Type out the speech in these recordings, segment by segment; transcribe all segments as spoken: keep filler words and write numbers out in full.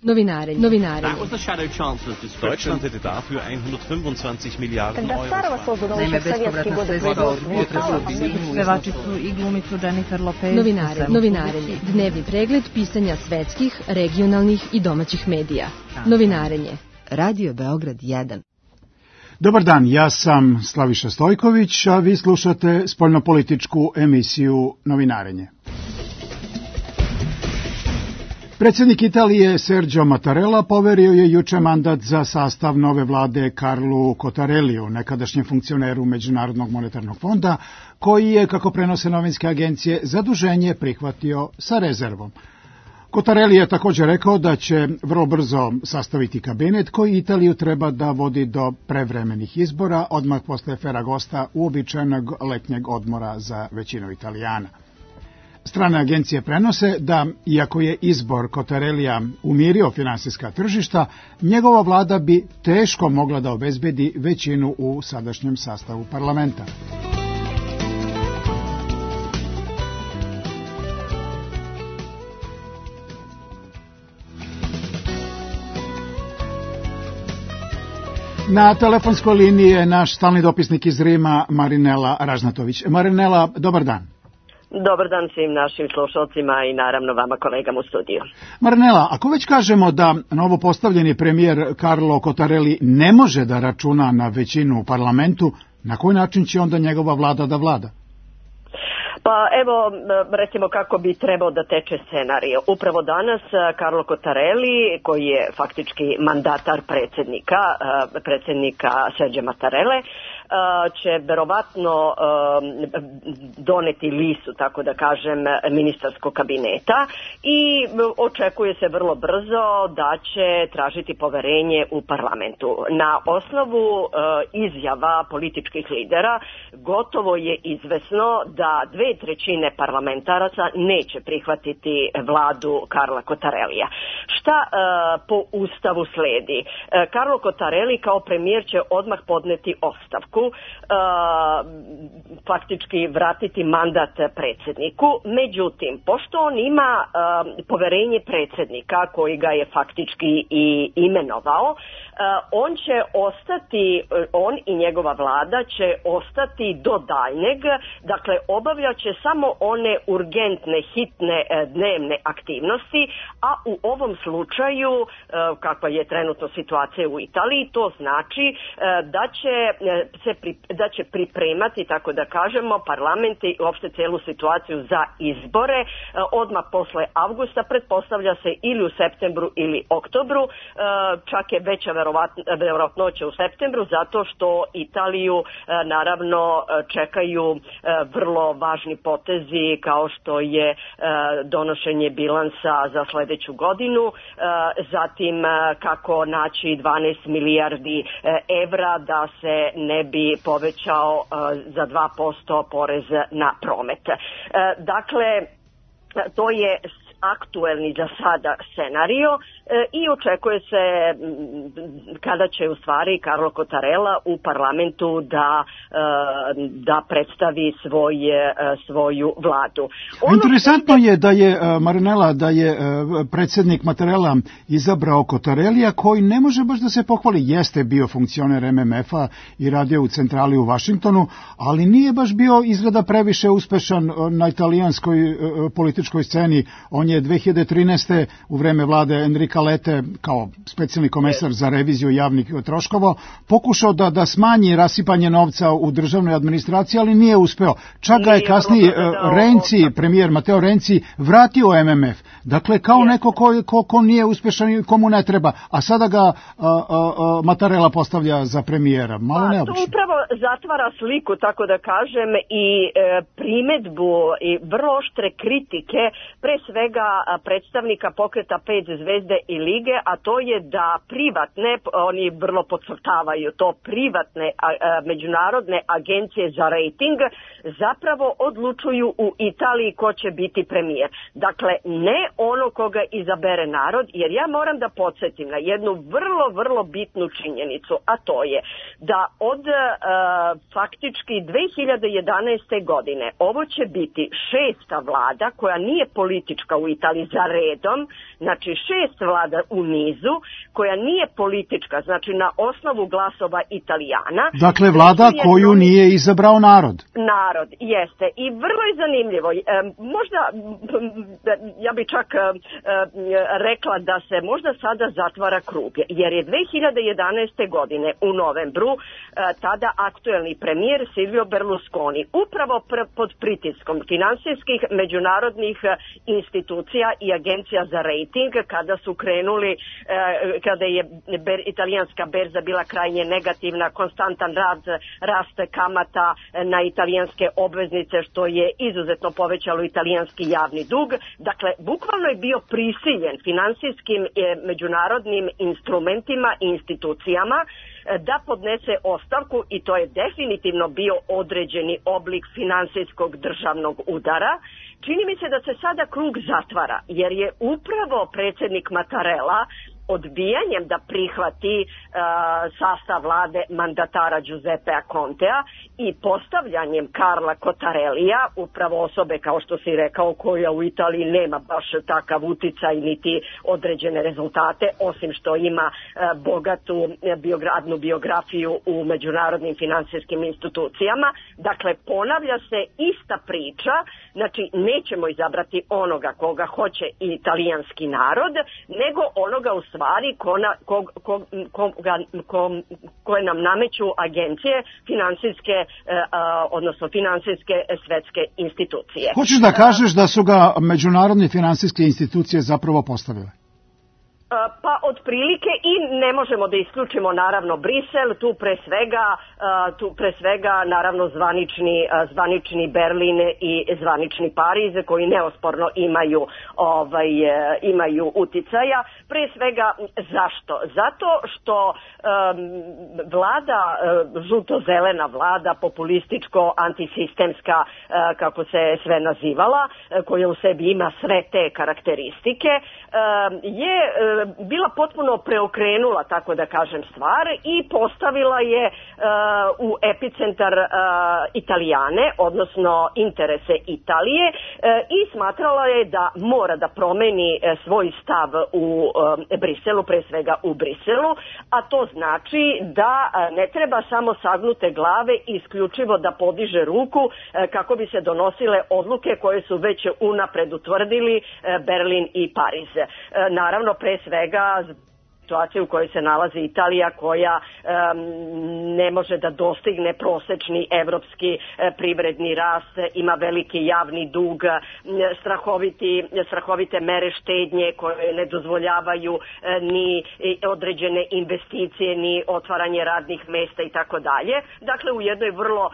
Novinarenje. Novinarenje. Deutschland hätte dafür hundertfünfundzwanzig Miliarden Euro. Naime, bespovratna sredstva potrebe pevačicu i glumicu Jennifer Lopez. Novinarenje. Novinarenje. Dnevni pregled pisanja svetskih, regionalnih i domaćih medija. Novinarenje. Radio Beograd jedan. Dobar dan, ja sam Slaviša Stojković, a vi slušate spoljnopolitičku emisiju Novinarenje. Predsjednik Italije Sergio Mattarella poverio je juče mandat za sastav nove vlade Carlu Cottarelliju, nekadašnjem funkcioneru Međunarodnog monetarnog fonda, koji je, kako prenose novinske agencije, zaduženje prihvatio sa rezervom. Cottarelli je također rekao da će vrlo brzo sastaviti kabinet koji Italiju treba da vodi do prevremenih izbora, odmah posle Ferragosta, uobičajenog letnjeg odmora za većinu Italijana. Strane agencije prenose da, iako je izbor Cottarellija umirio finansijska tržišta, njegova vlada bi teško mogla da obezbedi većinu u sadašnjem sastavu parlamenta. Na telefonskoj liniji je naš stalni dopisnik iz Rima, Marinela Ražnatović. Marinela, dobar dan. Dobar dan svim našim slušalcima i naravno vama kolegama u studiju. Marinela, ako već kažemo da novo postavljeni premijer Carlo Cottarelli ne može da računa na većinu u parlamentu, na koji način će onda njegova vlada da vlada? Pa evo, recimo kako bi trebao da teče scenarij. Upravo danas Carlo Cottarelli, koji je faktički mandatar predsjednika, predsjednika Sergio Mattarelle, će verovatno doneti listu, tako da kažem, ministarskog kabineta i očekuje se vrlo brzo da će tražiti poverenje u parlamentu. Na osnovu izjava političkih lidera gotovo je izvesno da dve trećine parlamentaraca neće prihvatiti vladu Carla Cottarellija. Šta po ustavu sledi? Carlo Cottarelli kao premijer će odmah podneti ostavku, Uh, faktički vratiti mandat predsjedniku. Međutim, pošto on ima uh, poverenje predsjednika koji ga je faktički i imenovao, Uh, on će ostati, uh, on i njegova vlada će ostati do daljnjeg, dakle obavljat će samo one urgentne, hitne uh, dnevne aktivnosti, a u ovom slučaju, uh, kakva je trenutno situacija u Italiji, to znači uh, da će uh, se pri, da će pripremati, tako da kažemo, parlament i uopšte cijelu situaciju za izbore uh, odmah posle avgusta, pretpostavlja se ili u septembru ili oktobru, uh, čak je veća verovatnoće u septembru, zato što Italiju naravno čekaju vrlo važni potezi kao što je donošenje bilansa za sljedeću godinu, zatim kako naći dvanaest milijardi evra da se ne bi povećao za dva posto porez na promet. Dakle, to je aktuelni za sada scenario e, i očekuje se kada će u stvari Carlo Cottarella u parlamentu da, e, da predstavi svoj, e, svoju vladu. Ono Interesantno je da je, Marinela, da je predsjednik Mattarella izabrao Cottarellija koji ne može baš da se pohvali. Jeste bio funkcioner M M F-a i radio u centrali u Vašingtonu, ali nije baš bio izgleda previše uspešan na italijanskoj političkoj sceni. On je dve hiljade trinaeste. u vreme vlade Enrika Lete kao specijalni komesar za reviziju javnih troškova pokušao da, da smanji rasipanje novca u državnoj administraciji, ali nije uspeo. Čak ga je kasnije Renzi, premijer Matteo Renzi, vratio M M F. Dakle, kao neko ko, ko, ko nije uspešan i komu ne treba, a sada ga a, a, a, Mattarella postavlja za premijera. Malo neobično. To upravo zatvara sliku, tako da kažem, i e, primedbu i vrlo oštre kritike, pre svega predstavnika pokreta pet zvezde i lige, a to je da privatne, oni vrlo podcrtavaju to, privatne a, a, međunarodne agencije za rating zapravo odlučuju u Italiji ko će biti premijer. Dakle, ne ono koga izabere narod, jer ja moram da podsjetim na jednu vrlo, vrlo bitnu činjenicu, a to je da od a, faktički dve hiljade jedanaeste. godine ovo će biti šesta vlada koja nije politička u Italiji za redom, znači šest vlada u nizu, koja nije politička, znači na osnovu glasova Italijana. Dakle, vlada koju nije izabrao narod. Narod, jeste. I vrlo je zanimljivo. E, možda, ja bi čak e, rekla da se možda sada zatvara krug, jer je dve hiljade jedanaeste godine u novembru e, tada aktuelni premijer Silvio Berlusconi upravo pr pod pritiskom finansijskih međunarodnih institucija i agencija za rating, kada su krenuli, e, kada je ber, italijanska berza bila krajnje negativna, konstantan rad, rast kamata na italijanske obveznice, što je izuzetno povećalo italijanski javni dug. Dakle, bukvalno je bio prisiljen finansijskim e, međunarodnim instrumentima i institucijama da podnese ostavku, i to je definitivno bio određeni oblik finansijskog državnog udara. Čini mi se da se sada krug zatvara, jer je upravo predsjednik Mattarella odbijanjem da prihvati uh, sastav vlade mandatara Giuseppea Contea i postavljanjem Carla Cottarellija, upravo osobe, kao što si rekao, koja u Italiji nema baš takav uticaj niti određene rezultate, osim što ima uh, bogatu biogradnu biografiju u međunarodnim finansijskim institucijama. Dakle, ponavlja se ista priča, znači nećemo izabrati onoga koga hoće i italijanski narod, nego onoga u stvari ko na, ko, ko, ko, ko, koje nam nameću agencije finansijske, eh, odnosno finansijske svetske institucije. Hoćeš da kažeš da su ga međunarodne finansijske institucije zapravo postavile? Pa otprilike, i ne možemo da isključimo naravno Brisel, tu pre svega, tu pre svega naravno zvanični, zvanični Berlin i zvanični Pariz, koji neosporno imaju, ovaj, imaju uticaja. Pre svega zašto? Zato što um, vlada, žuto-zelena vlada, populističko, antisistemska, kako se sve nazivala, koja u sebi ima sve te karakteristike, je bila potpuno preokrenula, tako da kažem, stvar i postavila je uh, u epicentar uh, Italijane, odnosno interese Italije, uh, i smatrala je da mora da promeni uh, svoj stav u uh, Briselu, pre svega u Briselu, a to znači da uh, ne treba samo sagnute glave i isključivo da podiže ruku uh, kako bi se donosile odluke koje su već unapred utvrdili uh, Berlin i Pariz. Uh, naravno, pre svega situaciju u kojoj se nalazi Italija, koja um, ne može da dostigne prosečni evropski e, privredni rast, ima veliki javni dug, strahoviti, strahovite mere štednje koje ne dozvoljavaju e, ni određene investicije, ni otvaranje radnih mesta i tako dalje. Dakle, u jednoj vrlo um,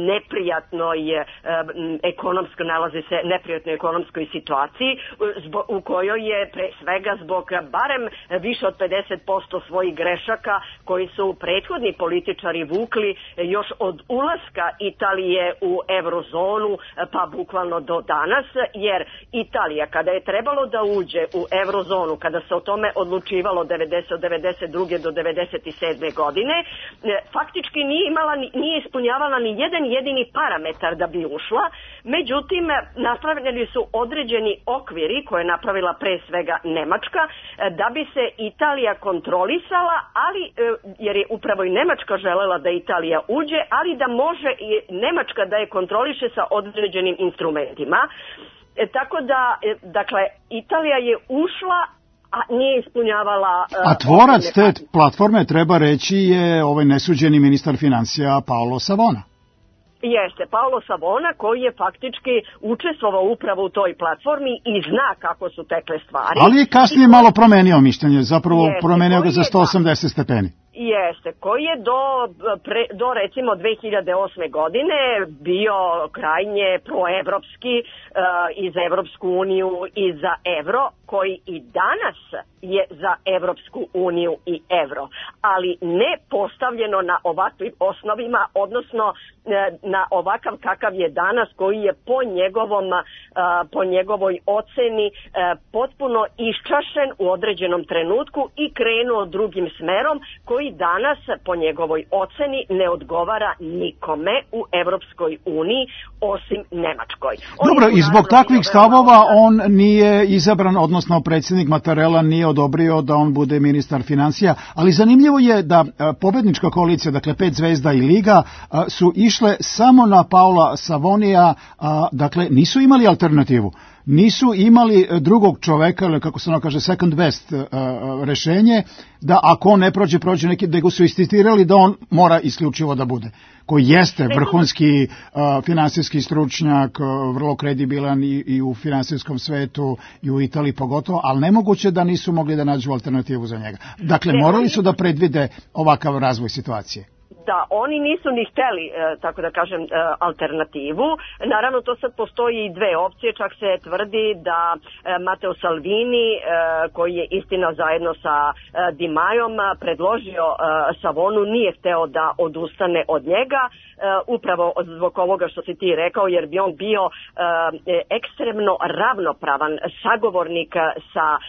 neprijatnoj um, ekonomskoj, nalazi se neprijatnoj ekonomskoj situaciji, zbog, u kojoj je pre svega zbog barem više od pedeset posto svojih grešaka koji su prethodni političari vukli još od ulaska Italije u eurozonu, pa bukvalno do danas, jer Italija, kada je trebalo da uđe u eurozonu, kada se o tome odlučivalo od devedeset druge do devedeset sedme godine, faktički nije imala, nije ispunjavala ni jedan jedini parametar da bi ušla. Međutim, napravljeni su određeni okviri koje je napravila pre svega Nemačka, da bi se Italija kontrolisala, ali jer je upravo i Nemačka želela da Italija uđe, ali da može i Nemačka da je kontroliše sa određenim instrumentima. E, tako da, dakle, Italija je ušla, a nije ispunjavala... A tvorac te platforme, treba reći, je ovaj nesuđeni ministar financija Paolo Savona. Jeste, Paolo Savona, koji je faktički učestvovao upravo u toj platformi i zna kako su tekle stvari. Ali je kasnije I... malo promenio mišljenje, zapravo Jeste, promenio ga za sto osamdeset stepeni. Jeste, koji je do, pre, do recimo dve hiljade osme godine bio krajnje proevropski uh, i za Evropsku uniju i za evro, koji i danas je za Evropsku uniju i evro, ali ne postavljeno na ovakvim osnovima, odnosno uh, na ovakav kakav je danas, koji je po njegovom, uh, po njegovoj oceni uh, potpuno iščašen u određenom trenutku i krenuo drugim smerom, koji danas po njegovoj oceni ne odgovara nikome u Evropskoj uniji osim Nemačkoj. On Dobro, i zbog takvih stavova on nije izabran, odnosno odnosno predsjednik Mattarella nije odobrio da on bude ministar financija, ali zanimljivo je da pobednička koalicija, dakle pet zvezda i Liga, su išle samo na Paola Savonija, dakle nisu imali alternativu. Nisu imali drugog čoveka, ili kako se ono kaže, second best uh, rešenje, da ako on ne prođe, prođe neki, da ga su insistirali da on mora isključivo da bude. Koji jeste vrhunski uh, finansijski stručnjak, uh, vrlo kredibilan i, i u finansijskom svetu i u Italiji pogotovo, ali nemoguće da nisu mogli da nađu alternativu za njega. Dakle, morali su da predvide ovakav razvoj situacije. Da, oni nisu ni hteli, e, tako da kažem, e, alternativu. Naravno, to sad postoji i dve opcije, čak se tvrdi da e, Matteo Salvini, e, koji je istina zajedno sa e, Di Majom predložio e, Savonu, nije hteo da odustane od njega, e, upravo zbog ovoga što si ti rekao, jer bi on bio e, ekstremno ravnopravan sagovornik sa e,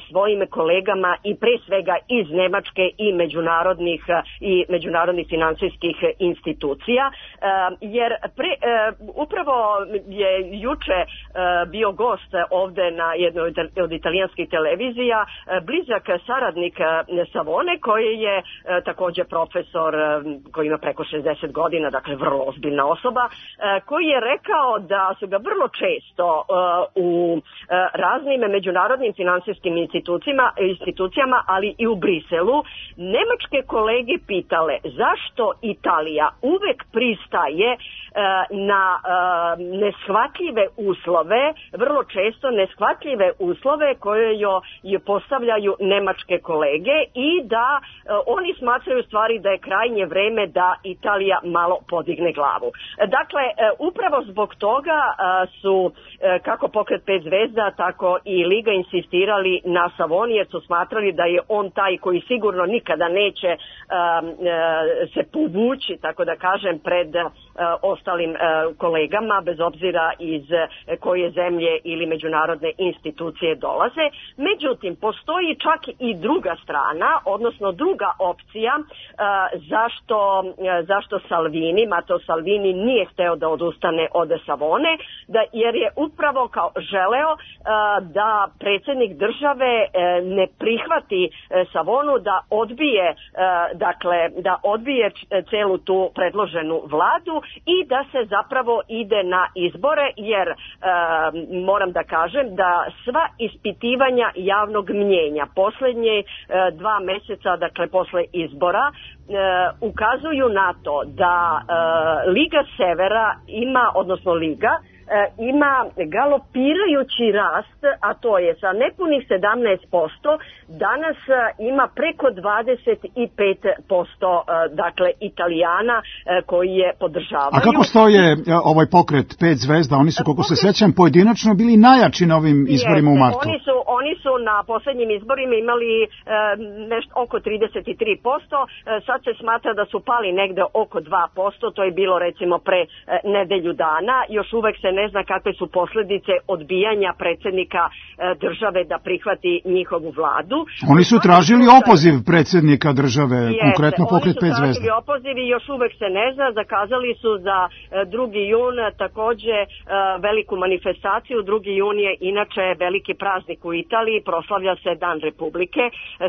svojim kolegama i pre svega iz Nemačke i međunarodnih i međunarodnih financijskih institucija, jer pre, upravo je juče bio gost ovde na jednoj od italijanskih televizija blizak saradnik Savone, koji je takođe profesor koji ima preko šezdeset godina, dakle vrlo ozbiljna osoba, koji je rekao da su ga vrlo često u raznim međunarodnim finansijskim institucijama, institucijama, ali i u Briselu, nemačke kolege pitale zašto što Italija uvek pristaje e, na e, neshvatljive uslove, vrlo često neshvatljive uslove koje joj je postavljaju nemačke kolege i da e, oni smatraju stvari da je krajnje vreme da Italija malo podigne glavu. Dakle, e, upravo zbog toga e, su e, kako pokret pet zvezda, tako i Liga insistirali na Savoni, jer su smatrali da je on taj koji sigurno nikada neće e, e, se povući, tako da kažem, pred uh, ostalim uh, kolegama, bez obzira iz uh, koje zemlje ili međunarodne institucije dolaze. Međutim, postoji čak i druga strana, odnosno druga opcija uh, zašto, uh, zašto Salvini, Matteo Salvini nije hteo da odustane od Savone, da, jer je upravo kao želeo uh, da predsjednik države uh, ne prihvati uh, Savonu, da odbije, uh, dakle, da odbije celu tu predloženu vladu i da se zapravo ide na izbore, jer e, moram da kažem da sva ispitivanja javnog mnjenja poslednje e, dva meseca, dakle posle izbora, e, ukazuju na to da e, Liga Severa ima, odnosno Liga, ima galopirajući rast, a to je sa nepunih sedamnaest posto, danas ima preko dvadeset pet posto dakle Italijana koji je podržavaju. A kako stoje ovaj pokret pet zvezda? Oni su, koliko se sećam, pojedinačno bili najjači na ovim izborima u martu. Oni su, oni su na poslednjim izborima imali e, nešto oko trideset tri posto, e, sad se smatra da su pali negde oko dva posto, to je bilo recimo pre e, nedelju dana, još uvek se ne zna kakve su posledice odbijanja predsjednika države da prihvati njihovu vladu. Oni su tražili opoziv predsjednika države, Jeste, konkretno pokret pet zvezda. Oni su tražili opoziv i još uvek se ne zna, zakazali su za drugi jun takođe veliku manifestaciju. drugi jun je inače veliki praznik u Italiji, proslavlja se Dan Republike,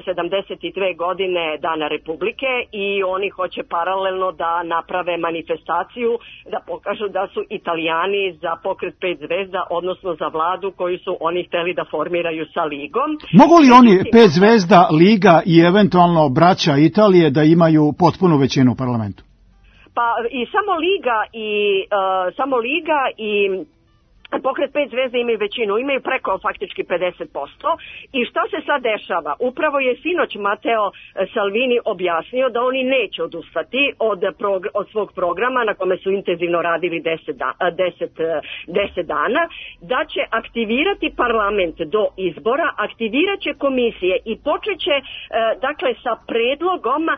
sedamdeset dve godine Dana Republike, i oni hoće paralelno da naprave manifestaciju, da pokažu da su Italijani za pokret pet zvezda, odnosno za vladu koju su oni hteli da formiraju sa Ligom. Mogu li oni, pet zvezda, Liga i eventualno braća Italije, da imaju potpunu većinu u parlamentu? Pa i samo Liga i uh, samo Liga i pokret pet zvezda imaju većinu, imaju preko faktički pedeset posto. I šta se sad dešava? Upravo je sinoć Matteo Salvini objasnio da oni neće odustati od, prog- od svog programa na kome su intenzivno radili deset dana, da će aktivirati parlament do izbora, aktivirat će komisije i počeće e, dakle sa predlogom e,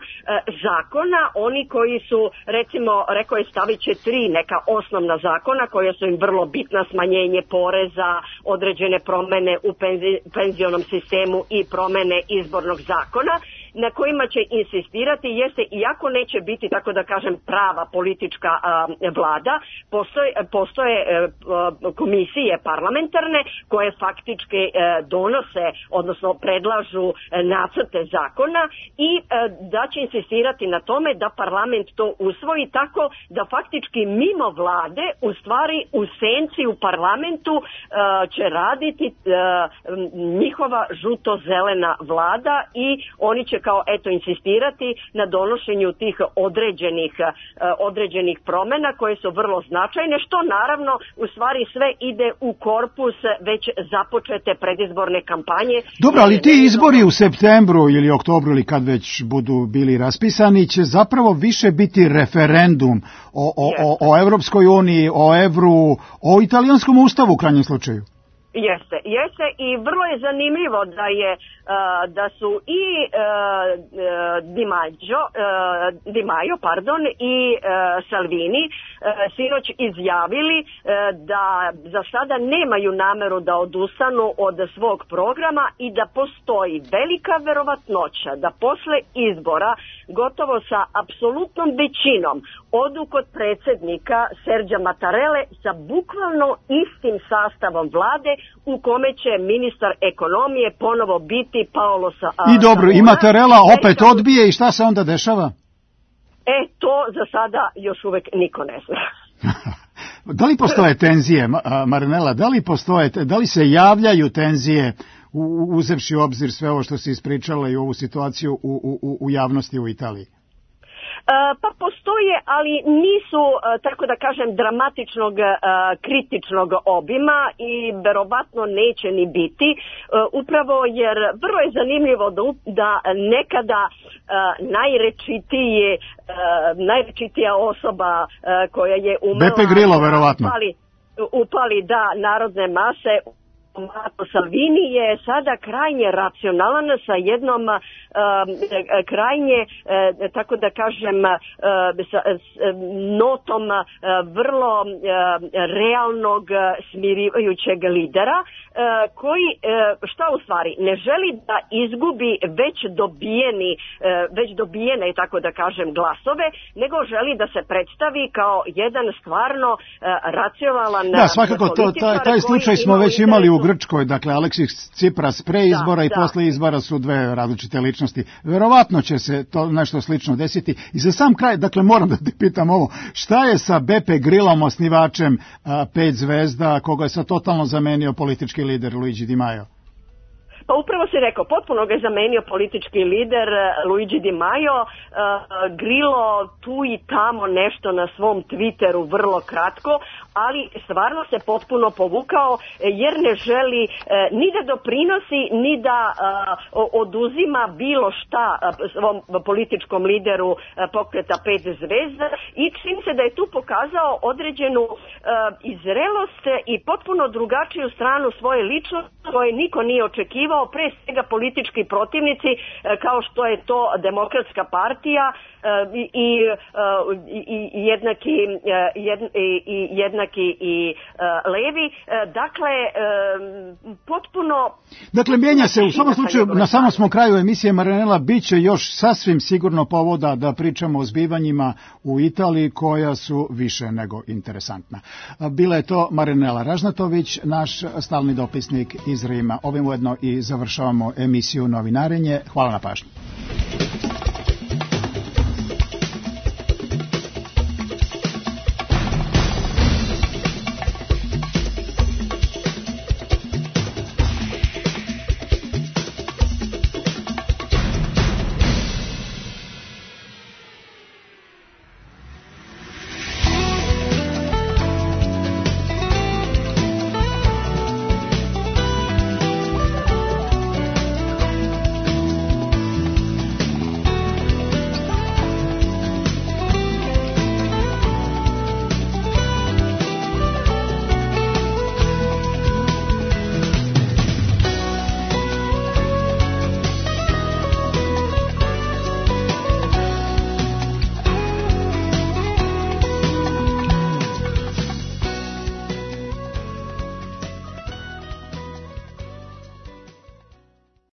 zakona. Oni koji su, recimo, rekao je stavit će tri neka osnovna zakona koja su im vrlo bitna, smanjenje poreza, određene promene u penzi, penzionom sistemu i promene izbornog zakona. na kojima će insistirati jeste, iako neće biti, tako da kažem, prava politička vlada, postoje, postoje komisije parlamentarne koje faktički donose, odnosno predlažu nacrte zakona i da će insistirati na tome da parlament to usvoji tako da faktički mimo vlade, u stvari u senci u parlamentu će raditi njihova žuto-zelena vlada i oni će kao eto insistirati na donošenju tih određenih, određenih promjena koje su vrlo značajne, što naravno u stvari sve ide u korpus već započete predizborne kampanje. Dobro, ali ti izbori u septembru ili oktobru ili kad već budu bili raspisani će zapravo više biti referendum o, o, o, o Evropskoj uniji, o evru, o italijanskom ustavu u krajnjem slučaju. Jeste, jeste i vrlo je zanimljivo da je uh, da su i uh, Di Maio, uh, Di Maio pardon, i uh, Salvini uh, sinoć izjavili uh, da za sada nemaju nameru da odustanu od svog programa i da postoji velika verovatnoća da posle izbora gotovo sa apsolutnom većinom odu kod predsjednika Serđa Mattarelle sa bukvalno istim sastavom vlade u kome će ministar ekonomije ponovo biti Paolo Savona. I dobro, i Mattarella opet odbije i šta se onda dešava? E, to za sada još uvek niko ne zna. Da li postoje tenzije, Marinela, da li postoje, da li se javljaju tenzije uzevši u obzir sve ovo što se ispričala i ovu situaciju u, u, u javnosti u Italiji? Pa postoje, ali nisu, tako da kažem, dramatičnog kritičnog obima i verovatno neće ni biti, upravo jer vrlo je zanimljivo da, da nekada najrečitije, najrečitija osoba koja je umrla Beppe Grillo, verovatno. Upali, upali da narodne mase. Matteo Salvini je sada krajnje racionalan sa jednom uh, krajnje, uh, tako da kažem, uh, sa, s, notom uh, vrlo uh, realnog, smirivajućeg lidera, uh, koji, uh, šta u stvari, ne želi da izgubi već dobijeni, uh, već dobijene, tako da kažem, glasove, nego želi da se predstavi kao jedan stvarno uh, racionalan da, svakako, to, taj, taj slučaj smo već imali u Grčkoj, dakle Aleksis Tsipras pre izbora da, i da. posle izbora su dve različite ličnosti. Verovatno će se to nešto slično desiti. I za sam kraj, dakle moram da te pitam ovo, šta je sa Beppe Grillom, osnivačem a, pet zvezda, koga je sad totalno zamenio politički lider Luigi Di Maio? Pa upravo si rekao, potpuno ga je zamenio politički lider Luigi Di Maio. Uh, Grillo tu i tamo nešto na svom Twitteru vrlo kratko, ali stvarno se potpuno povukao jer ne želi uh, ni da doprinosi, ni da uh, oduzima bilo šta uh, svom političkom lideru uh, pokreta pet zvezda i čini se da je tu pokazao određenu uh, izrelost i potpuno drugačiju stranu svoje ličnosti koje niko nije očekivao, pre svega politički protivnici kao što je to Demokratska partija i, i, i jednaki, jed, i jednaki i levi. Dakle, potpuno... Dakle, mijenja se, u svakom slučaju, na samom smo kraju emisije, Marinela, bit će još sasvim sigurno povoda da pričamo o zbivanjima u Italiji koja su više nego interesantna. Bila je to Marinela Ražnatović, naš stalni dopisnik iz Rima. Ovim ujedno i završavamo emisiju Novinarenje. Hvala na pažnji.